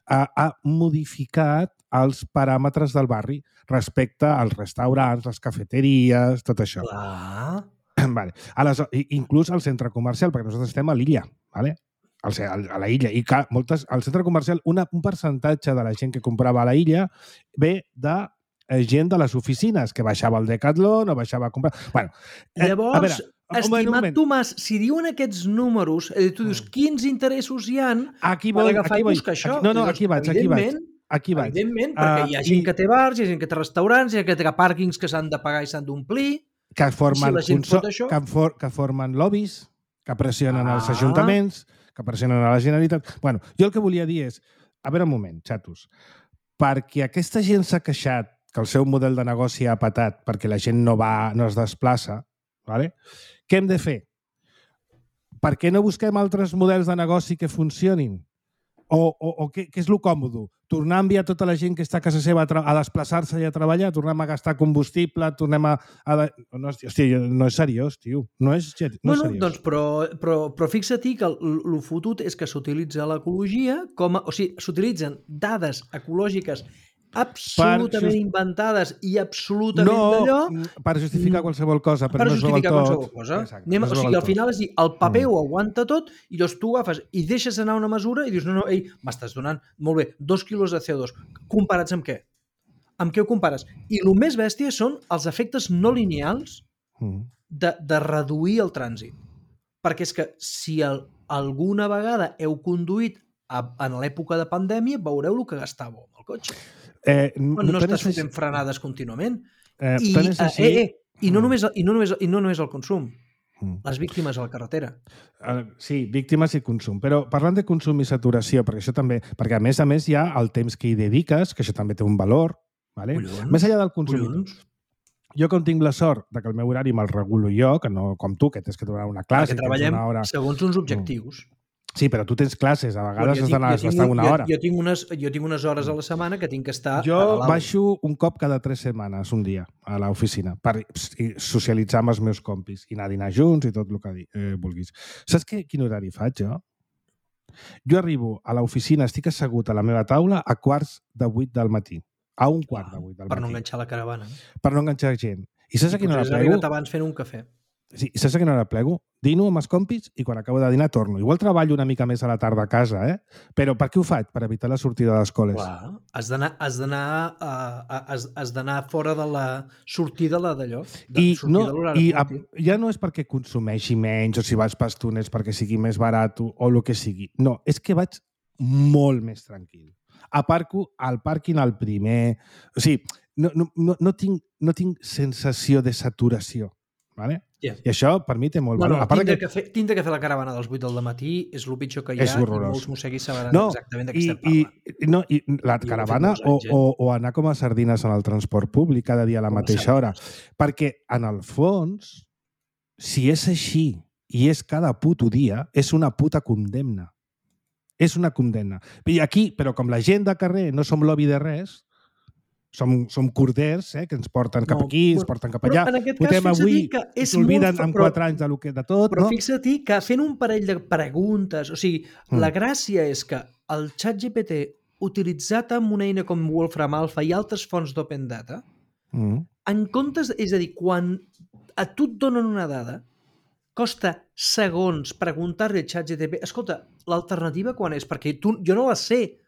ha modificat els paràmetres del barri respecte als restaurants, les cafeteries, tot això. Vale. Inclús al centre comercial, perquè nosaltres estem a l'illa, ¿vale? A la illa. I al centre comercial, un percentatge de la gent que comprava a la illa ve de gent de les oficines, que baixava al Decathlon o baixava a comprar... Bueno, llavors, estimat Tomàs, si diuen aquests números, tu dius, quins interessos hi ha per agafar i buscar això? Aquí vaig. Evidentment, perquè hi ha gent que té bars, hi ha gent que té restaurants, hi ha gent que té pàrquings que s'han de pagar i s'han d'omplir... Que formen lobbies, que pressionen els ajuntaments, que pressionen a la Generalitat... Bueno, jo el que volia dir és... A veure un moment, xatos. Perquè aquesta gent s'ha queixat que el seu model de negoci ha patat perquè la gent no es desplaça, ¿vale? Què hem de fer? Per què no busquem altres models de negoci que funcionin? O què és el còmode? Tornar a enviar tota la gent que està a casa seva a desplaçar-se i a treballar? Tornem a gastar combustible? Tornem a... Hòstia, no és seriós, tio. No és seriós. Doncs, però fixa-t'hi que el fotut és que s'utilitza l'ecologia com a... O sigui, s'utilitzen dades ecològiques absolutament inventades i absolutament d'allò... Per justificar qualsevol cosa, però no és qualsevol cosa. O sigui, al final és dir, el paper ho aguanta tot i llavors tu agafes i deixes anar una mesura i dius, no, ei, m'estàs donant, molt bé, 2 quilos de CO2. Comparats amb què? Amb què ho compares? I el més bèstia són els efectes no lineals de reduir el trànsit. Perquè és que si alguna vegada heu conduït en l'època de pandèmia, veureu el que gastàveu amb el cotxe. No estàs fotent frenades contínuament. I no només el consum. Les víctimes a la carretera. Sí, víctimes i consum. Però parlant de consum i saturació, perquè això també... Perquè a més hi ha el temps que hi dediques, que això també té un valor. Vale? Més enllà del consum. Jo, com tinc la sort de que el meu horari me'l regulo jo, que no com tu, que tens que donar una classe... Perquè treballem segons uns objectius. Sí, però tu tens classes, a vegades has d'anar a estar una hora. Jo tinc unes hores a la setmana que tinc que estar... Jo baixo un cop cada 3 setmanes, un dia, a l'oficina, per socialitzar amb els meus compis i anar a dinar junts i tot el que vulguis. Saps quin horari faig, jo? Jo arribo a l'oficina, estic assegut a la meva taula a 7:45 del matí. A 7:45 del matí. Per no enganxar la caravana. Per no enganxar gent. I saps a quina hora plego? Abans fent un cafè. Sí, saps a quina hora plego? Dino amb els compis i quan acabo de dinar torno. Igual treballo una mica més a la tarda a casa, Però per què ho faig? Per evitar la sortida de les coles. Clar, has d'anar fora de la sortida d'allò. Ja no és perquè consumeixi menys o si vaig per túnels perquè sigui més barat o el que sigui. No, és que vaig molt més tranquil. Aparco al pàrquing al primer... O sigui, no tinc sensació de saturació. Vale? Yeah. I això, per mi, té molt valor. Tindre que fer la caravana dels 8 del matí és el pitjor que hi ha, i molts mosseguis sabran exactament de què estem parlant. I la caravana o anar com a sardines en el transport públic cada dia a la mateixa hora. Perquè, en el fons, si és així i és cada puto dia, és una puta condemna. És una condemna. I aquí, però com la gent de carrer no som lobby de res, som corders, que ens porten cap aquí, ens porten cap allà. Però en aquest cas, fixa't-hi s'olviden en 4 anys de tot. Però fixa't-hi que fent un parell de preguntes, o sigui, la gràcia és que el ChatGPT, utilitzat amb una eina com Wolfram Alpha i altres fonts d'Open Data, en comptes, és a dir, quan a tu et donen una dada, costa segons preguntar-li al ChatGPT, escolta, l'alternativa quan és? Perquè jo no la sé.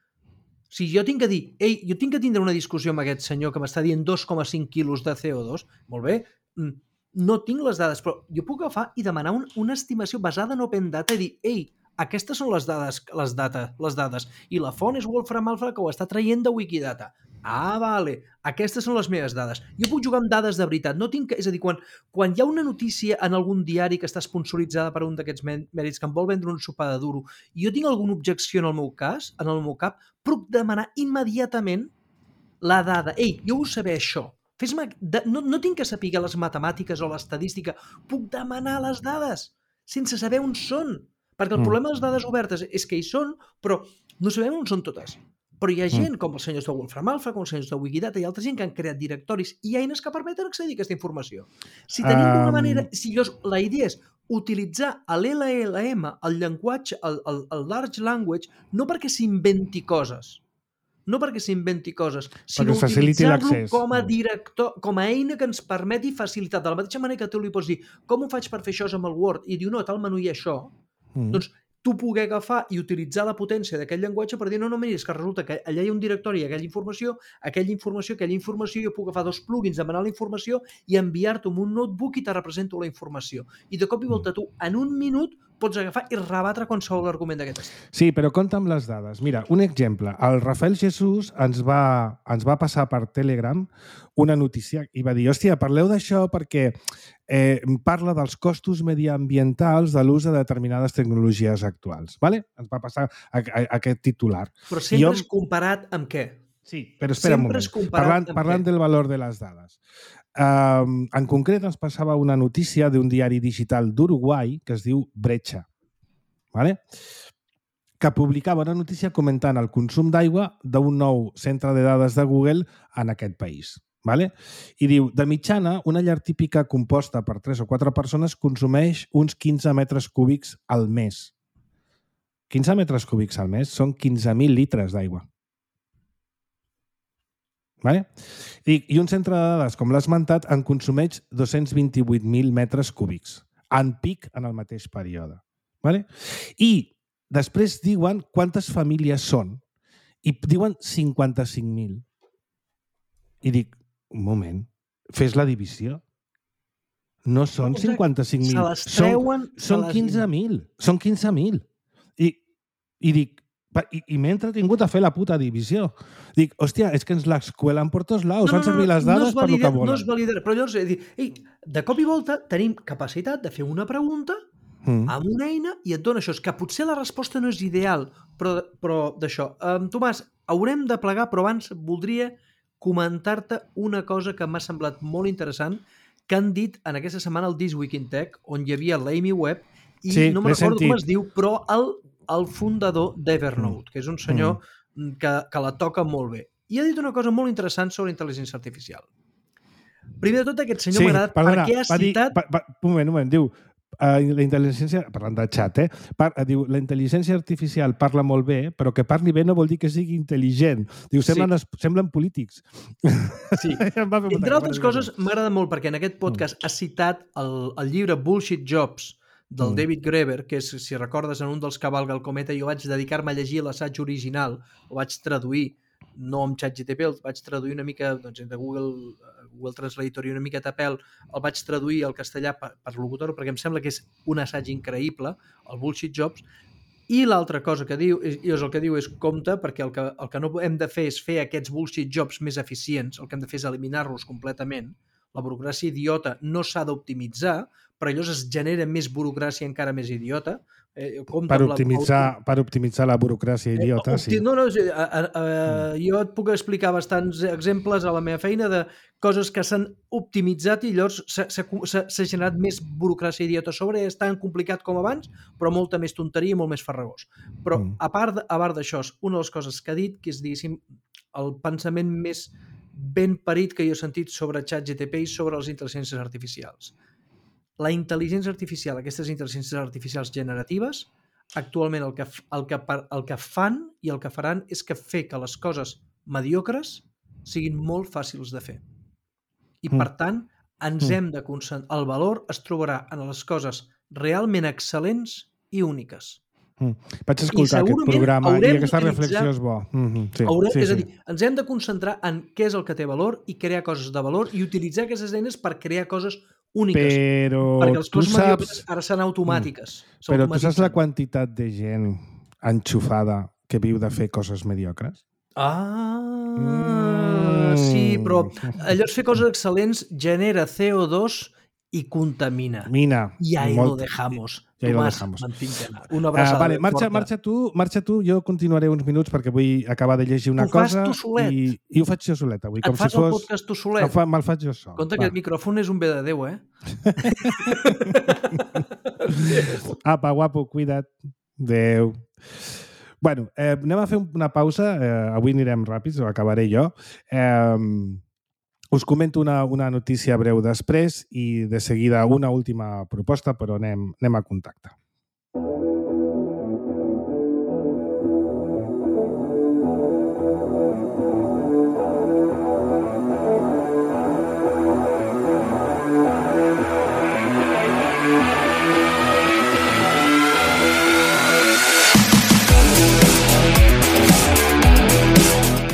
Si jo tinc que dir, jo tinc que tindre una discussió amb aquest senyor que m'està dient 2,5 quilos de CO2, molt bé, no tinc les dades, però jo puc agafar i demanar una estimació basada en Open Data i dir, aquestes són les dades, i la font és Wolfram Alpha que ho està traient de Wikidata. Vale, aquestes són les meves dades. Jo puc jugar amb dades de veritat. És a dir, quan hi ha una notícia en algun diari que està sponsoritzada per un d'aquests mèrits que em vol vendre un sopar de duro i jo tinc alguna objecció en el meu cap, puc demanar immediatament la dada. Jo vull saber això. No tinc que saber les matemàtiques o l'estadística. Puc demanar les dades sense saber on són. Perquè el problema de les dades obertes és que hi són, però no sabem on són totes. Però hi ha gent, com els senyors de Wolfram Alpha, com els senyors de Wikidata, i altra gent que han creat directoris i eines que permeten accedir a aquesta informació. Si tenim d'una manera... La idea és utilitzar l'LLM, el llenguatge, el large language, no perquè s'inventi coses, sinó utilitzar-lo com a director, com a eina que ens permeti facilitar. De la mateixa manera que tu li pots dir com ho faig per fer això amb el Word i diu, no, tal menú hi ha això, doncs tu poder agafar i utilitzar la potència d'aquest llenguatge per dir, no, mira, és que resulta que allà hi ha un directori i aquella informació, jo puc agafar 2 plugins, demanar la informació i enviar-t'ho amb un notebook i te represento la informació. I de cop i volta tu, en un minut, pots agafar i rebatre qualsevol argument d'aquest estil. Sí, però compta amb les dades. Mira, un exemple. El Rafael Jesús ens va passar per Telegram una notícia i va dir, hòstia, parleu d'això perquè parla dels costos mediambientals de l'ús de determinades tecnologies actuals. ¿Vale? Ens va passar aquest titular. Però sempre és comparat amb què? Sí, però espera un moment. Parlant del valor de les dades. En concret ens passava una notícia d'un diari digital d'Uruguai que es diu Brecha, ¿vale? Que publicava una notícia comentant el consum d'aigua d'un nou centre de dades de Google en aquest país. ¿Vale? I diu, de mitjana, una llar típica composta per 3 o 4 persones consumeix uns 15 metres cúbics al mes. 15 metres cúbics al mes són 15.000 litres d'aigua. ¿Vale? I un centre de dades, com l'ha esmentat, en consumeix 228.000 metres cúbics, en pic en el mateix període. ¿Vale? I després diuen quantes famílies són, i diuen 55.000. I dic, un moment, fes la divisió. No són 55.000, són 15.000. Són 15.000. I dic, i m'he entretingut a fer la puta divisió. Dic, hòstia, és que ens l'escuelen per tots laus, fan servir les dades per el que volen. No es valida, però llavors, de cop i volta tenim capacitat de fer una pregunta amb una eina i et dona això. És que potser la resposta no és ideal, però d'això. Tomàs, haurem de plegar, però abans voldria comentar-te una cosa que m'ha semblat molt interessant que han dit en aquesta setmana al This Week in Tech, on hi havia l'Amy Webb i no me'n recordo com es diu, però el fundador d'Evernote, que és un senyor que la toca molt bé. I ha dit una cosa molt interessant sobre intel·ligència artificial. Primer de tot, aquest senyor m'ha agradat perquè ha citat... Un moment, diu... La intel·ligència, parlant de xat, diu, la intel·ligència artificial parla molt bé, però que parli bé no vol dir que sigui intel·ligent. Diu, semblen polítics. Sí. Entre altres coses, m'agrada molt perquè en aquest podcast ha citat el llibre Bullshit Jobs del David Graeber, que és, si recordes, en un dels Cavalga el cometa, jo vaig dedicar-me a llegir l'assaig original, ho vaig traduir, no amb ChatGPT, el vaig traduir una mica de Google Translator i una miqueta a pèl, el vaig traduir al castellà per locutor, perquè em sembla que és un assaig increïble, el Bullshit Jobs, i l'altra cosa que diu, és compte, perquè el que no hem de fer és fer aquests bullshit jobs més eficients, el que hem de fer és eliminar-los completament, La burocràcia idiota no s'ha d'optimitzar, però llavors es genera més burocràcia encara més idiota. Per optimitzar la burocràcia idiota, sí. No, jo et puc explicar bastants exemples a la meva feina de coses que s'han optimitzat i llavors s'ha generat més burocràcia idiota sobre. És tan complicat com abans, però molta més tonteria i molt més farragós. Però a part d'això, una de les coses que ha dit, que és, diguéssim, el pensament més ben parit que jo he sentit sobre ChatGPT i sobre les intel·ligències artificials. La intel·ligència artificial, aquestes intel·ligències artificials generatives, actualment el que fan i el que faran és que fer que les coses mediocres siguin molt fàcils de fer. I, per tant, ens hem de concentrar. El valor es trobarà en les coses realment excel·lents i úniques. Vaig escoltar aquest programa i aquesta reflexió és bo. És a dir, ens hem de concentrar en què és el que té valor i crear coses de valor i utilitzar aquestes eines per crear coses úniques. Perquè les coses mediocres ara són automàtiques. Però tu saps la quantitat de gent enxufada que viu de fer coses mediocres? Sí, però llavors fer coses excel·lents genera CO2 i contamina. Y ahí lo dejamos. Tomàs, mantinc-te. Una abraçada. Vale, marxa tu, jo continuaré uns minuts perquè vull acabar de llegir una cosa. Ho fas tu solet. I ho faig jo solet avui. Et fas el podcast tu solet? Me'l faig jo sol. Compte que el micròfon és un bé de Déu, Apa, guapo, cuida't. Adéu. Bueno, anem a fer una pausa. Avui anirem ràpids, ho acabaré jo. Us comento una notícia breu després i de seguida una última proposta, però anem a contacte.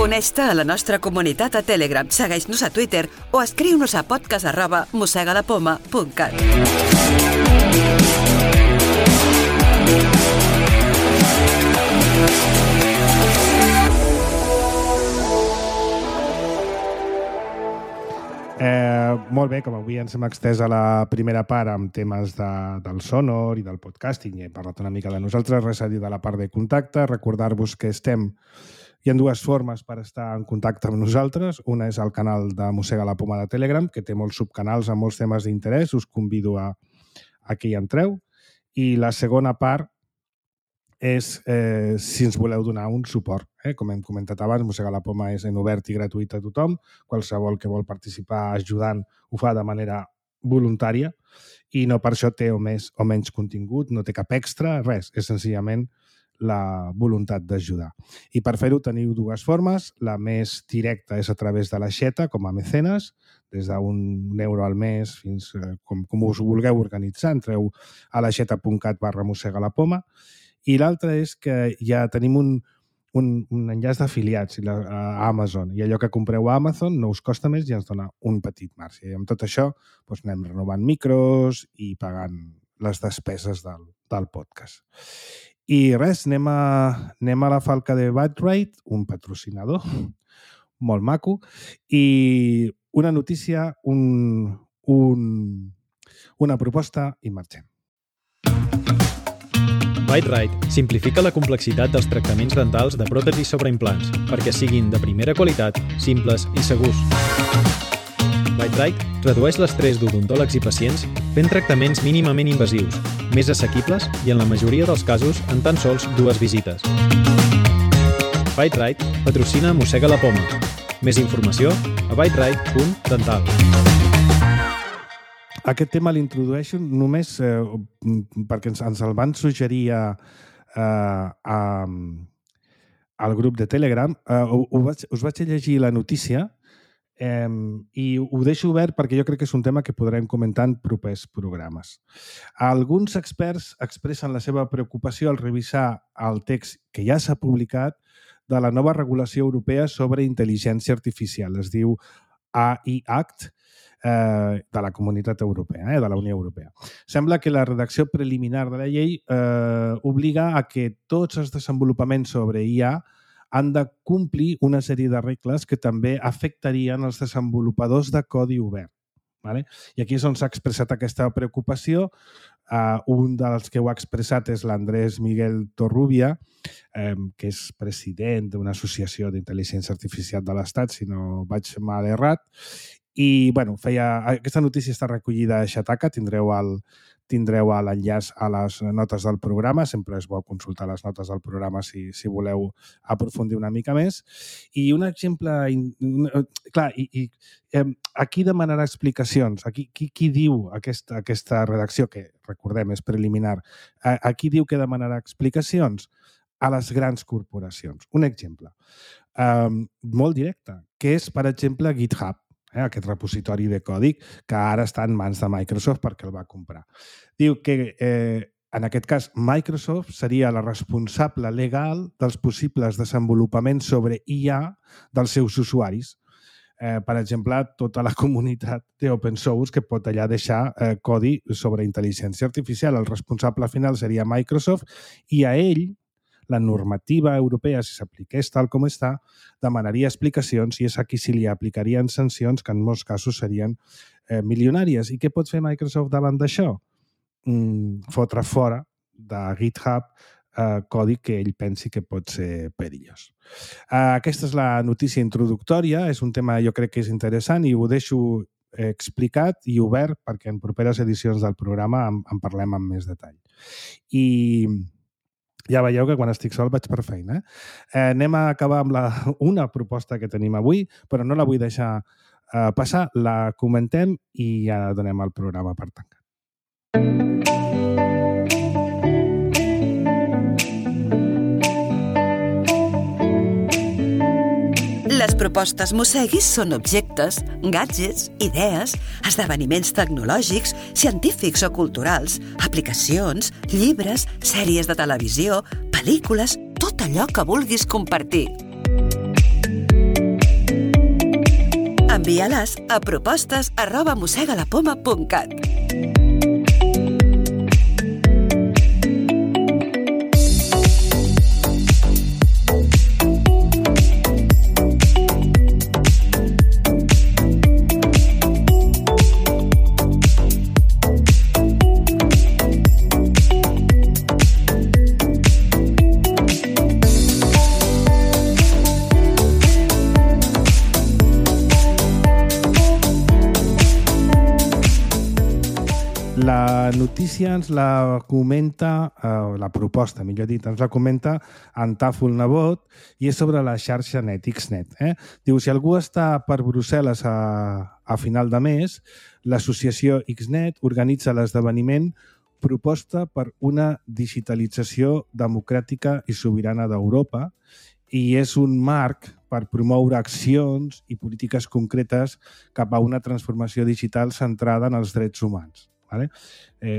Uneix-te a la nostra comunitat a Telegram, segueix-nos a Twitter o escriu-nos a podcast@mossegalapoma.cat. Molt bé, com avui ens hem extès a la primera part amb temes del sonor i del podcasting i hem parlat una mica de nosaltres, res a dir de la part de contacte. Recordar-vos que hi ha dues formes per estar en contacte amb nosaltres. Una és el canal de Mossega la Poma de Telegram, que té molts subcanals amb molts temes d'interès. Us convido a que hi entreu. I la segona part és si ens voleu donar un suport. Com hem comentat abans, Mossega la Poma és en obert i gratuït a tothom. Qualsevol que vol participar ajudant ho fa de manera voluntària i no per això té o més o menys contingut, no té cap extra, res. És senzillament la voluntat d'ajudar. I per fer-ho teniu dues formes. La més directa és a través de l'aixeta, com a mecenes, des d'1 € al mes fins com us vulgueu organitzar. Entreu a l'aixeta.cat/mossegalapoma. I l'altra és que ja tenim un enllaç d'afiliats a Amazon. I allò que compreu a Amazon no us costa més i ens dona un petit marge. I amb tot això anem renovant micros i pagant les despeses del podcast. I res, anem a la falca de Byte-Rite, un patrocinador molt maco, i una notícia, una proposta i marxem. Byte-Rite simplifica la complexitat dels tractaments dentals de pròtesis sobre implants perquè siguin de primera qualitat, simples i segurs. Byte-Rite redueix l'estrès d'odontòlegs i pacients fent tractaments mínimament invasius, més assequibles i en la majoria dels casos en tan sols 2 visites. Byte-Rite patrocina Mossega la Poma. Més informació a byterite.dental. Aquest tema l'introdueixo només perquè ens el van suggerir al grup de Telegram. Us vaig llegir la notícia i ho deixo obert perquè jo crec que és un tema que podrem comentar en propers programes. Alguns experts expressen la seva preocupació al revisar el text que ja s'ha publicat de la nova regulació europea sobre intel·ligència artificial. Es diu AI Act de la Comunitat Europea, de la Unió Europea. Sembla que la redacció preliminar de la llei obliga a que tots els desenvolupaments sobre IA han de complir una sèrie de regles que també afectarien els desenvolupadors de codi obert. Vale? I aquí és on s'ha expressat aquesta preocupació. Un dels que ho ha expressat és l'Andrés Miguel Torrubia, que és president d'una associació d'intel·ligència artificial de l'Estat, si no vaig mal errat. I bueno, aquesta notícia està recollida a Xataca, tindreu l'enllaç a les notes del programa, sempre és bo consultar les notes del programa si voleu aprofundir una mica més. I un exemple... Clar, aquí demanarà explicacions. Qui diu aquesta redacció, que recordem és preliminar, aquí diu que demanarà explicacions? A les grans corporacions. Un exemple molt directe, que és, per exemple, GitHub, aquest repositori de codi que ara està en mans de Microsoft perquè el va comprar. Diu que, en aquest cas, Microsoft seria la responsable legal dels possibles desenvolupaments sobre IA dels seus usuaris. Per exemple, tota la comunitat d'open source que pot allà deixar codi sobre intel·ligència artificial. El responsable final seria Microsoft i a ell la normativa europea, si s'apliqués tal com està, demanaria explicacions i és a qui si li aplicarien sancions que en molts casos serien milionàries. I què pot fer Microsoft davant d'això? Fotre fora de GitHub codi que ell pensi que pot ser perillós. Aquesta és la notícia introductòria, és un tema jo crec que és interessant i ho deixo explicat i obert perquè en properes edicions del programa en parlem amb més detall. I ja veieu que quan estic sol vaig per feina. Anem a acabar amb una proposta que tenim avui, però no la vull deixar passar, la comentem i ja donem el programa per tancat. Les propostes Mosseguis són objectes, gadgets, idees, esdeveniments tecnològics, científics o culturals, aplicacions, llibres, sèries de televisió, pel·lícules, tot allò que vulguis compartir. Envia-les a propostes@mossegalapoma.cat. La notícia ens la comenta, la proposta, millor dit, ens la comenta en Tàfol Nebot i és sobre la xarxa net, XNet. Diu, si algú està per Brussel·les a final de mes, l'associació XNet organitza l'esdeveniment Proposta per una digitalització democràtica i sobirana d'Europa i és un marc per promoure accions i polítiques concretes cap a una transformació digital centrada en els drets humans. Vale?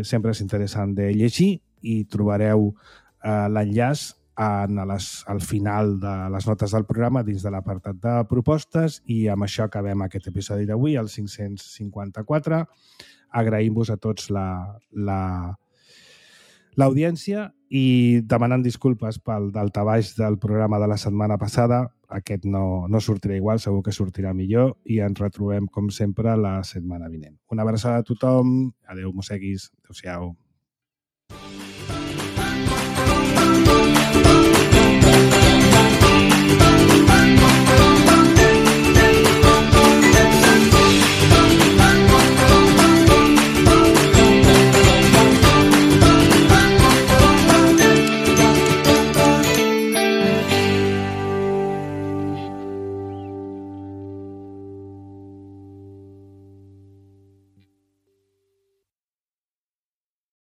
Sempre és interessant de llegir i trobareu l'enllaç al final de les notes del programa dins de l'apartat de propostes i amb això acabem aquest episodi d'avui, el 554. Agraïm-vos a tots l'audiència i demanant disculpes pel daltabaix del programa de la setmana passada. Aquest no sortirà igual, segur que sortirà millor i ens retrobem, com sempre, la setmana vinent. Una abraçada a tothom. Adéu, mosseguis. Adéu-siau.